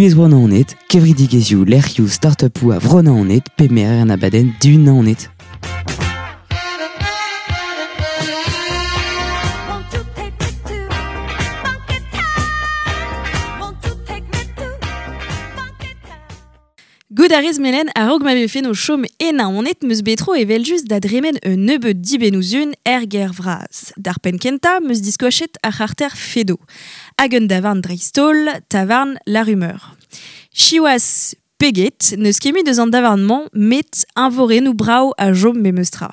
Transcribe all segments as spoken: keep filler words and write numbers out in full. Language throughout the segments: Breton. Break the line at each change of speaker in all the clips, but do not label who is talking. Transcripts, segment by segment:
Buhez Bro Naoned, kevredigezhioù lec'hioù start-upoù a Vro Naoned pe merer an abadenn du Naoned.
Won't you take me to Funky Town? Won't you take me to Funky Town?
Gout a rez melen a-raok ma vefe no chom e Naoned meus betro evel just da dremen un nebeud dibennouzun er ger vraz. D'ar penn kenta meus diskoachet ar c'harter Fedo. Hag un davarn dreist-holl, tavarn La Rumeur. Siwazh peget, n'eus ket mui deus an davarn-mañ met eñvorennoù brav a chom memestra.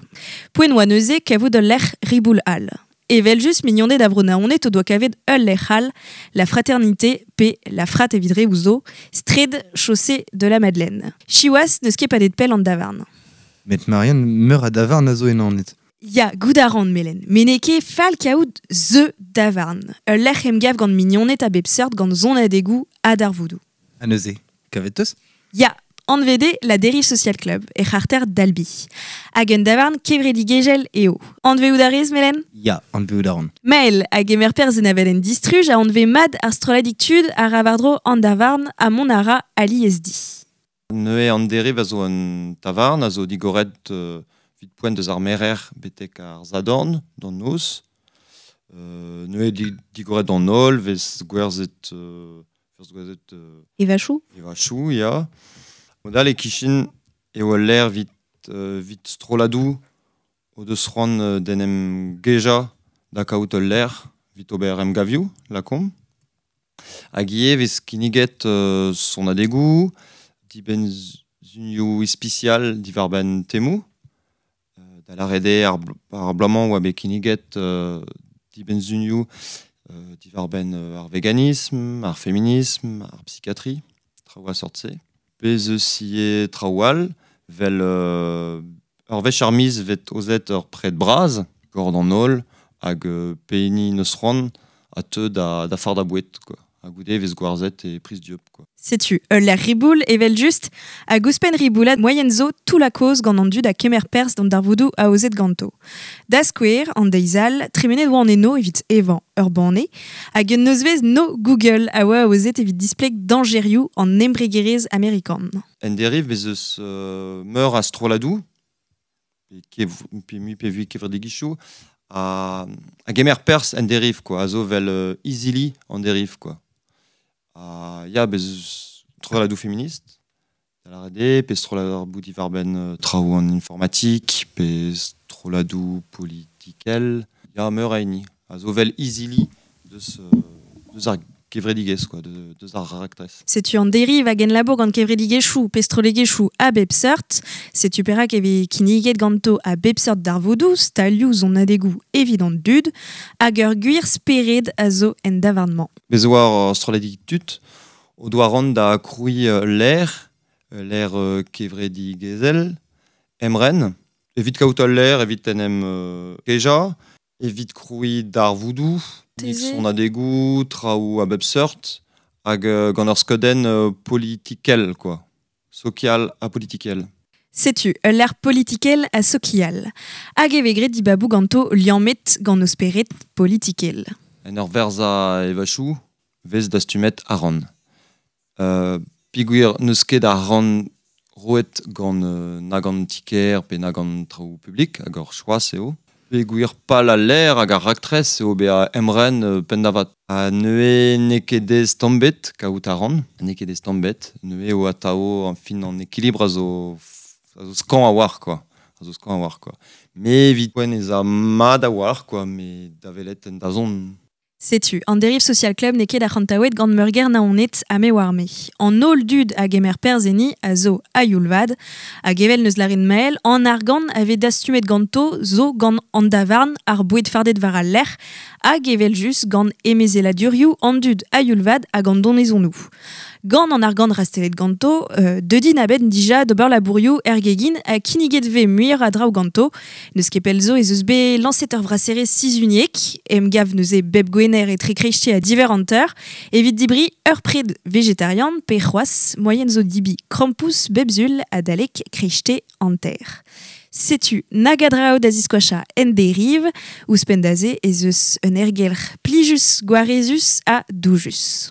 Poent oa neuze kavout ul lec'h riboul all. Evel just mignoned a Vro Naoned o doa kavet ul lec'h all, la Fraternité pe la Frat evit re ouzo, straed chaussée de la Madeleine. Siwazh n'eus ket padet pell an davarn.
Met Marianne meur a davarn a zo e Naoned.
Ya, goût a ran melen. Met n'eo ket fall kaout the davarn. Ul lec'h emgav gant mignoned a bep seurt gant sonadegoù ha darvoudoù.
Ha neuze, kavet teus?
Ya, anvet eo la Dérive Social Club, e c'harter d'Albi. Hag un davarn kevredigezhel eo. Anveout a rez, Melen?
Ya, anveout a ran.
Mael a gemer perzh en abadenn distruj a anvez mat ar strolladig tud a ra war-dro an davarn ha mont a ra alies di.
Neuze an Dérive a zo un tavarn a zo digoret euh, vit poent deus ar merer betek ar zadorn d'an noz. Euh, neuze di, digoret d'an holl, vez gwerzhet, euh, vez gwerzhet, euh,
Evachou?
Evachou, ya. Modal e kichen eo ul lec'h vit, euh, vit strolladoù o deus c'hoant, euh, d'en em gejañ da kaout ul lec'h vit ober emgavioù, lakaomp. Hag ivez vez kinniget, euh, sonadegoù, dibenn zunioù ispisial diwar-benn temoù. Euh, da lâret eo ar bl-, ar bloaz-mañ oa bet kinniget, euh, dibenn zunioù, euh, diwar-benn, euh, ar veganisme, ar féminisme, ar psychiatrie, traoù a sort-se. Bez eus ivez traoù all, vel, euh, ur wech ar miz vet ozet ur pred braz, gant an holl, hag, euh, pehini neus c'hoant a teu da, da fard a boued, quoi. Ha goude vez gwarzhet e priz dieub, quoi.
Setu, ul lec'h riboul evel just, hag ouzhpenn riboulat moyen zo tout la cause gant an dud a kemer perzh d'an darvoudoù aozet ganto. Da skouer, an deiz all, tremenet oa an eno evit evañ ur banne, hag un nozvezh no Google a oa aozet evit displeg dañjerioù an embregerezh amerikan.
En dérive bez eus, euh, meur a strolladoù, pe kev-, pe mui pe vui kevredigezhioù, a, a gemer perzh en dérive, quoi, a zo vel, euh, izili en dérive, quoi. A, ya, bez eus strolladoù féministe, da lâret eo, pe strolladoù diwar-benn, euh, traoù an informatik, pe strolladoù politikel, ya, meur a hini. A zo vel izili deus, euh, deus ar kevredigezh, quoi, de, deus ar raktres.
Setu an dérive hag en labour gant kevredigezhioù pe strollegezhioù a bep seurt. Setu perak e vez kinniget ganto a bep seurt darvoudoù, stalioù sonadegoù evit an dud, hag ur gwir spered a zo en davarn-mañ.
Bez oa ur strolladig tud o doa ran da krouiñ, euh, l'air, euh, l'air, euh, kevredigezhel, emren, evit kaout ul l'air, evit en em, euh, kejañ, evit krouiñ darvoudoù, nik
Teze.
sonadegoù, traoù a bep seurt, hag, euh, gant ur skeudenn, euh, politikel, quoi. Sokial ha politikel.
Setu, ul lec'h politikel ha sokial. Hag e vez graet dibaboù ganto liammet gant o spered politikel.
En ur verza evachoù, vez dastumet aran. Euh, pigwir n'eus ket ar ran roet gant, euh, na gant tiker pe na gant traoù publik, hag ur choaz eo. Pegwir pal al l'air hag ar raktres eo bezañ emren, euh, penn-da-vat. Ha neuze n'eo ket dez tamm-bet kaout ar ran, n'eo ket dez tamm-bet, neuze eo atao en fin an équilibre a zo f-, a zo skañv a-walc'h, quoi. A zo skañv a-walc'h, quoi. Mais evit poent ez a mat a-walc'h, quoi, mais da welet en dazont.
Setu, an Dérive Social Club n'eo ket ar c'hantaouet gant meurgêr Naoned ha me war me. An holl dud a gemer perzh enni a zo a-youl vat, hag evel neus lâret Mael, an argant a vez dastumet ganto zo gant an davarn ar boued fardet war al lec'h, hag evel just gant emezeladurioù an dud a-youl vat hag an donezonoù. Gant an argant rastelet ganto, euh, deudin a-benn dija d'ober labourioù er gegin ha kinniget vez muioc'h a draoù ganto. N'eus ket pell zo ez eus bet lañset ur vraserezh sizhuniek, emgav neuze bep gwener etre kreizte ha diver hanter, evit dibri ur pred vegetarian pe c'hoazh moyen zo dibi krampouezh bep sul adalek kreizte hanter. Setu nag a draoù da ziskoachañ en dérive, ouzhpenn da se ez eus un aergelc'h plijus, gwarezus ha doujus.